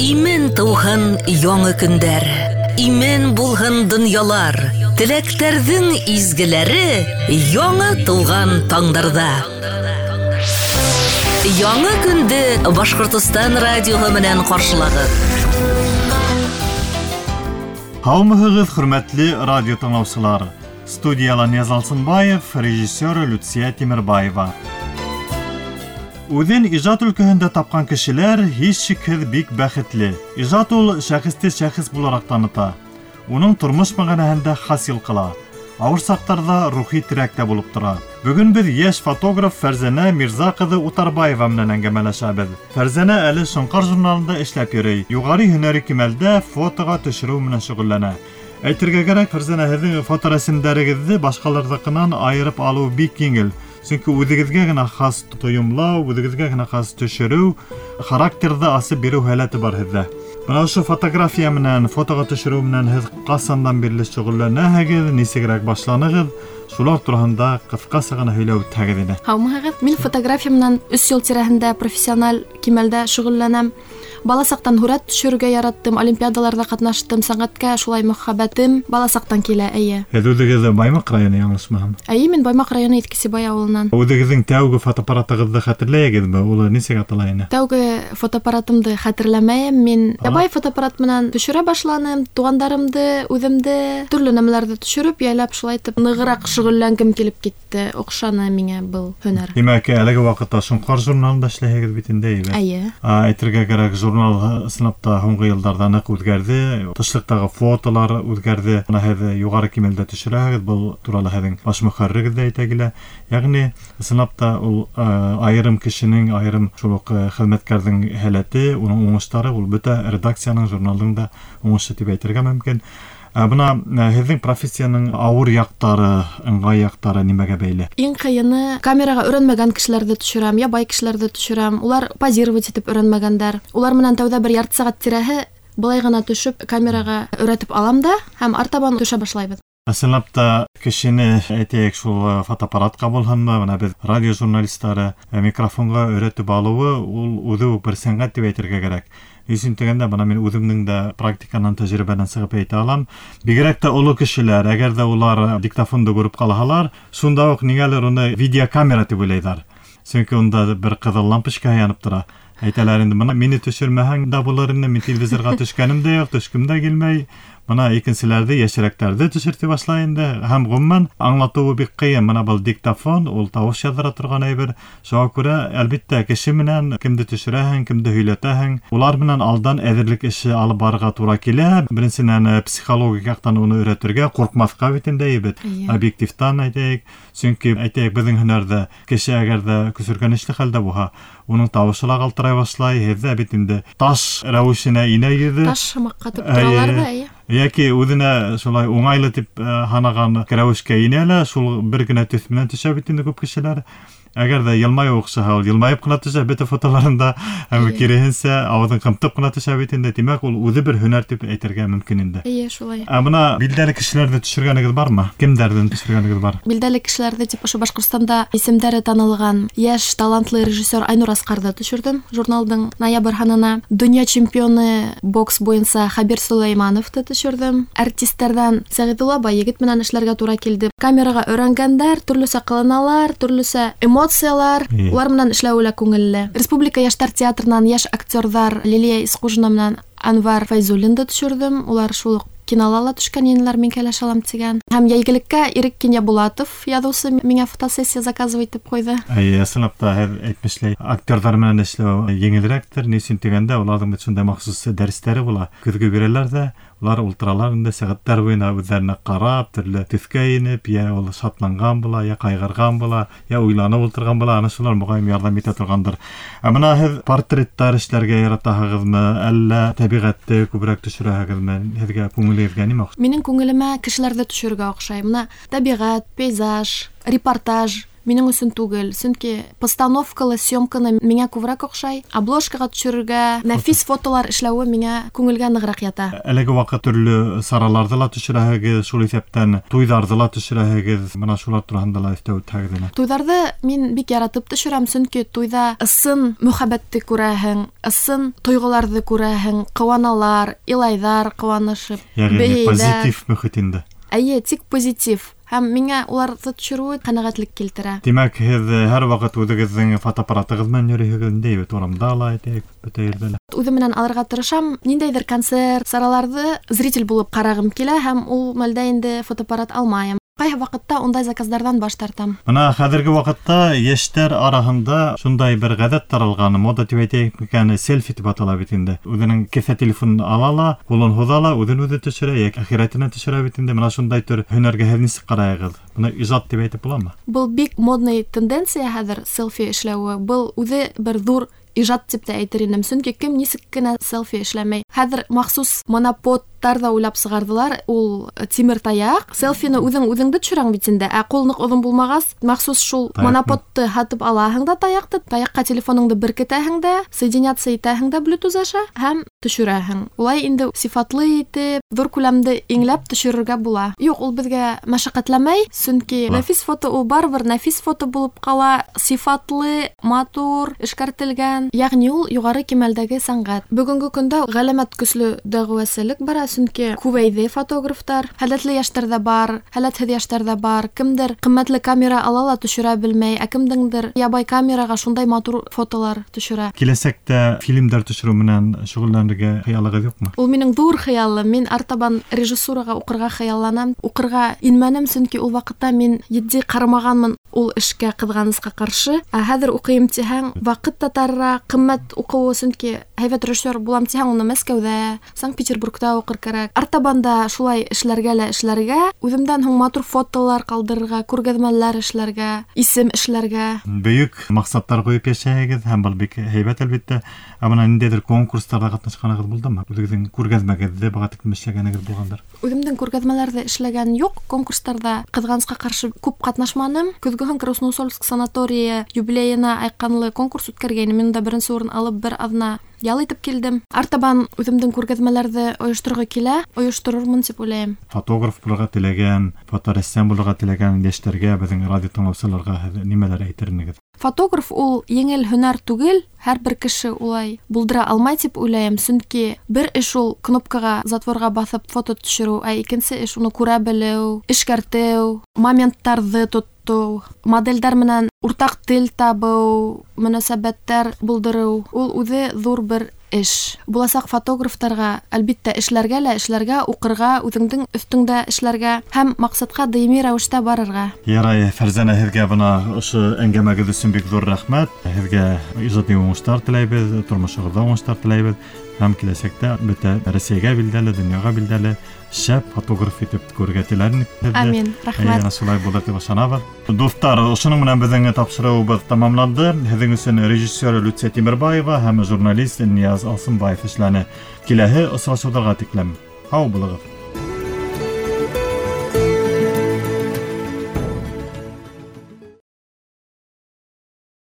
Имен тыуһын яңы көндәр, имен булһын донъялар, теләктәрҙең изгеләре яңы тыуған таңдарҙа. Яңы көндө Башҡортостан радиоһы менән ҡаршылағыҙ. Һаумыһығыҙ, хөрмәтле радио тыңлаусылар. Студияла Нияз Алсынбаев, режиссер Люция Тимербаева. Үҙен ижад өлкәһендә тапҡан кешеләр һис шикһеҙ бик бәхетле. Ижад ул шәхесте шәхес булараҡ таныта. Уның тормош мәғәнәһендә хасил ҡыла. Ауыр саҡтарҙа рухи терәк тә булып тора. Бөгөн беҙ йәш фотограф Фәрзәнә Мирза ҡыҙы Утарбаева менән әңгәмәләшәбеҙ. Фәрзәнә әле Шоңҡар журналында эшләп йөрөй. Юғары һөнәри кимәлдә фотоға төшөрөү менән шөғөлләнә. Әйтергә кәрәк, Фәрзәнә, һеҙҙең фоторәсемдәрегеҙҙе башҡаларҙыҡынан айырып алыу бик еңел. Сөнки үҙегеҙгә генә хас тойомлау, үҙегеҙгә генә хас төшөрөү, характерҙы асып биреү һәләте бар һеҙҙә. Бына ошо фотография менән, фотоға төшөрөү менән һеҙ ҡасандан бирле шөғөлләнәһегеҙ, нисегерәк башланығыҙ? Шулар тураһында ҡыҫҡаса ғына һөйләп үтһәгеҙ ине. Һаумыһығыҙ. Мин фотография менән 3 йыл тирәһендә профессиональ кимәлдә шөғөлләнәм. Бала саҡтан һүрәт төшөрөргә яраттым, олимпиадаларҙа ҡатнаштым, сәнғәткә шулай мөхәббәтем бала саҡтан килә, эйе. Һеҙ үҙегеҙ Баймаҡ районы, яңылышмаһам? Эйе, мин Баймаҡ районы Иҫке Сибай ауылынан. Үҙегеҙҙең тәүге фотоаппаратығыҙҙы хәтерләйһегеҙме? Ул нисек атала ине? Тәүге фотоаппаратымды хәтерләмәйем. Мин ябай фотоаппарат менән төшөрә башланым, туғандарымды, үҙемде, төрлө нәмәләрҙе төшөрөп, яйлап шулай итеп нығыраҡ шөғөлләнгем килеп китте. Оҡшаны миңә был һөнәр. Тимәк, әлеге ваҡытта Шоңҡар журналында эшләйһегеҙ бит инде, әйбәт. Эйе. Әйтергә кәрәк, журнал ысынлап та һуңғы йылдарҙа ныҡ үҙгәрҙе. Тышлыҡтағы фотолар үҙгәрҙе. Бына һеҙ юғары кимәлдә төшөрәһегеҙ, был турала һеҙҙең баш мөхәррирегеҙ ҙә әйтә килә. Йәғни, ысынлап та ул айырым кешенең, айырым шул уҡ хеҙмәткәрҙең һәләте, уның уңыштары, ул бөтә редакцияның, журналдың да уңышы тип әйтергә мөмкин. Бына һеҙҙең профессияның ауыр яҡтары, ыңғай яҡтары нимәгә бәйле? Иң ҡыйыны камераға өйрәнмәгән кешеләрҙе төшөрәм, ябай кешеләрҙе төшөрәм. Улар позировать итеп өйрәнмәгәндәр. Улар менән тәүҙә бер ярты сәғәт тирәһе былай ғына төшөп камераға өйрәтеп алам да һәм артабан төшә башлайбыҙ. Ысынлап та кешене, әйтәйек, шул фотоаппаратҡа булһынмы, бына беҙ радио журналистары микрофонға өйрәтеп алыуы ул үҙе үк бер сәнғәт тип әйтергә кәрәк. Ни өсөн тигәндә, бына мин үҙемдең дә практиканан, тәжрибәнән сығып әйтә алам. Бигерәк тә оло кешеләр, әгәр ҙә улар диктофонды күреп ҡалһалар, шунда уҡ ниңәлер уны видеокамера тип уйлайҙар. Сөнки унда бер ҡыҙыл лампочка янып тора. Әйтәләр инде, бына мине төшөрмәһәң дә булыр инде, мин телевизорға төшкәнем дә юҡ, төшкөм дә килмәй. Бына икенселәрҙе, йәшерәктәрҙе төшөртә башлай инде. Һәм ғөмүмән аңлатыуы бик ҡыйын. Бына был диктофон, ул тауыш яҙҙыра торған әйбер. Шуға күрә, әлбиттә, кеше менән кемде төшөрәһең, кемде һөйләтәһең, улар менән алдан әҙерлек эше алып барырға тура килә. Беренсенән, психологик яҡтан уны өйрәтергә, ҡурҡмаҫҡа бит инде, әйбәт. Объективтан әйтәйек. Сөнки, әйтәйек, беҙҙең һөнәрҙә кеше әгәр ҙә көсөргәнешле хәлдә булһа, уның тауышы ла ҡалтырай башлай, һеҙҙә бит инде таш рәүешенә инә йөҙө. Таш һымаҡ ҡатып торалар ҙа, эйе. Йәки үҙенә шулай уңайлы тип һанаған рәүешкә инә лә, шул бер генә төҫ менән төшә бит инде күп кешеләр. Әгәр ҙә йылмайыу оҡшаһа, ул йылмайып ҡына төшә бөтә фотоларында, һәм киреһенсә ауыҙын ҡымтып ҡына төшә бит инде. Тимәк, ул үҙе бер һөнәр тип әйтергә мөмкин инде. Эйе, шулай. Ә бына билдәле кешеләрҙе төшөргәнегеҙ бармы? Кемдәрҙән төшөргәнегеҙ бар? Билдәле кешеләрҙе тип ошо Башҡортостанда исемдәре танылған йәш талантлы режиссер Айнур Асҡарҙы төшөрҙөм журналдың ноябрь һанына. Донъя чемпионы бокс буйынса Хабир Сулеймановты төшөрҙөм. Артистәрҙән Сәғиҙулла Байегет менән эшләргә тура килде. Камераға өйрәнгәндәр, төрлөсә ҡыланалар, төрлөсә эмоциялар, улар менән эшләүе лә күңелле. Республика йәштәр театрынан йәш актерҙар Лилия Исҡужина менән Анвар Фәйзуллинды төшөрҙөм. Улар шул уҡ кинола ла төшкән инеләр, мин кәләш алам тигән. Һәм йәйгелеккә Ирек Кинйәбулатов яҙыусы миңә фотосессия заказывать итеп ҡуйҙы. Эйе, ысынлап та, һеҙ әйтмешләй, актерҙар менән эшләү еңелерәктер. Ни өсөн тигәндә, уларҙың бит шундай махсус дәрестәре була. Көҙгө бирәләр ҙә, улар ултыралар инде сәғәттәр буйына үҙҙәренә ҡарап, төрлө төҫкә инеп, йә ул шатланған була, йә ҡайғырған була, йә уйланып ултырған була. Ана шулар моғайын ярҙам итә торғандыр. Ә бына һеҙ портреттар эшләргә яратаһығыҙмы, әллә тәбиғәтте күберәк төшөрәһегеҙме? Һеҙгә күңелегеҙгә нимә оҡшай? Минең күңелемә кешеләрҙе төшөрөргә оҡшай. Бына тәбиғәт, пейзаж, репортаж. минең өсөн түгел, сөнки постановкалы съемканы миңә күберәк оҡшай. Обложкаға төшөрөргә, нәфис фотолар эшләүе миңә күңелгә нығыраҡ ята. Әлеге ваҡыт төрлө сараларҙы ла төшөрәһегеҙ, шул иҫәптән туйҙарҙы ла төшөрәһегеҙ. Бына шулар тураһында ла өҫтәп үтһәгеҙ ине. Туйҙарҙы мин бик яратып төшөрәм, сөнки туйҙа ысын мөхәббәтте күрәһең, ысын тойғоларҙы күрәһең, ҡыуаналар, илайҙар ҡыуанышып, бейейҙәр. Позитив мөхит инде. Эйе, тик позитив. Һәм миңә уларҙы төшөрөүе ҡәнәғәтлек килтерә. Тимәк, һеҙ һәр ваҡыт үҙегеҙҙең фотоаппаратығыҙ менән йөрөйһөгөҙ инде, бит урамда ла, әйтәйек, бөтә ерҙә лә. Үҙем менән алырға тырышам. Ниндәйҙер концерт, сараларҙы зритель булып ҡарағым килә һәм ул мәлдә инде фотоаппарат алмайым. Ҡайһы ваҡытта ундай заказдарҙан баш тартам. Бына хәҙерге ваҡытта йәштәр араһында шундай бер ғәҙәт таралған, мода тип әйтәйек микән, селфи тип атала бит инде. Үҙенең кеҫә телефонын ала ла, ҡулын һуҙа ла, үҙен үҙе төшөрә, йәки әхирәтенә төшөрә бит инде. Бына шундай төр һөнәргә һеҙ нисек ҡарайығыҙ? Бына ижад тип әйтеп буламы? Был бик модный тенденция хәҙер селфи эшләүе. Был үҙе бер ҙур ижад тип тә әйтер инем, сөнки кем нисек кенә селфи эшләмәй. Хәҙер махсус моноподтар ҙа уйлап сығарҙылар, ул тимер таяҡ. Селфины үҙең үҙеңде төшөрәң бит инде, ә ҡул ныҡ оҙон булмағас, махсус шул моноподты һатып алаһың да таяҡты, таяҡҡа телефоныңды беркетәһең дә, соединяться итәһең дә Bluetooth аша һәм төшөрәһең. Улай инде сифатлы итеп, ҙур күләмде иңләп төшөрөргә була. Юҡ, ул беҙгә мәшәҡәтләмәй, сөнки нәфис фото ул барыбер нәфис фото булып ҡала, сифатлы, матур, эшкәртелгән. Ягъни ул юғары кимәлдәге сәнғәт. Бөгөнгө көндә ғәләмәт көслө дәғүәселек бара, сөнки күбәйҙе фотографтар. Һәләтле йәштәр ҙә бар, һәләтһеҙ йәштәр ҙә бар. Кемдер ҡиммәтле камера ала ла төшөрә белмәй, ә кемдеңдер ябай камераға шундай матур фотолар төшөрә. Киләсәктә фильмдәр төшөрөү менән шөғөлләнергә хыялығыҙ юҡмы? Ул минең ҙур хыялым. Мин артабан режиссураға уҡырға хыялланам. Уҡырға инмәнем, сөнки ул ваҡытта мин етди ҡарамағанмын ул эшкә, ҡыҙғанысҡа ҡаршы. Ә хәҙер уҡыйым тиһәң, ваҡыт та тарыраҡ, ҡиммәт уҡыуы, сөнки һәйбәт режиссер булам тиһәң, уны Мәскәүҙә, Санкт-Петербургта уҡыр кәрәк. Артабан да шулай эшләргә лә эшләргә, үҙемдән һуң матур фотолар ҡалдырырға, күргәҙмәләр эшләргә, исем эшләргә. Бөйөк маҡсаттар ҡуйып йәшәйһегеҙ һәм был бик һәйбәт әлбиттә. Ә бына ниндәйҙер конкурстарҙа ҡатнашҡанығыҙ булдымы? Үҙегеҙҙең күргәҙмәгеҙҙе быға тиклем эшләгәнегеҙ булғандыр? Үҙемдең күргәҙмәләрҙе эшләгән юҡ, конкурстарҙа ҡыҙғанысҡа ҡаршы күп ҡатнашманым. Көҙгөһөн Красноусольск санаторийы юбилейына айҡанлы конкурс үткәргәйнем. Мин унда беренсе урын алып бер аҙна ял итеп килдем. Артабан үҙемдең күргәҙмәләрҙе ойошторорға килә, ойошторормон тип уйлайым. Фотограф булырға теләгән, фоторәссам булырға теләгән йәштәргә, беҙҙең радио тыңлаусыларға һеҙ нимәләр әйтер инегеҙ? Фотограф ул еңел һөнәр түгел, һәр бер кеше улай булдыра алмай тип уйлайым, сөнки бер эш ул кнопкаға, затворға баҫып фото төшөрөү, ә икенсе эш уны күрә белеү, эшкәртеү, моменттарҙы тотоу, моделдәр менән уртаҡ тел табыу, мөнәсәбәттәр булдырыу. Ул үҙе ҙур бер эш. Буласаҡ фотографтарға әлбиттә эшләргә лә эшләргә, уҡырға, үҙеңдең өҫтөңдә эшләргә һәм маҡсатҡа даими рәүештә барырға. Ярай, Фәрзәнә, һеҙгә бына ошо әңгәмәгеҙ өсөн бик ҙур рәхмәт. Һеҙгә ижади уңыштар теләйбеҙ, тормошоғоҙҙа уңыштар теләйбеҙ һәм киләсәктә бөтә Рәсәйгә билдәле, донъяға билдәле шәп фотограф итеп күрергә теләр инек. Амин, рәхмәт. Әйе, шулай булыр тип ышанабыҙ. Дуҫтар, ошоноң менән беҙҙең тапшырыуыбыҙ тамамланды. Һеҙҙең өсөн режиссер Люция Тимербаева һәм журналист Нияз Алсынбаев эшләне. Киләһе осрашыуҙарға тиклем һау булығыҙ.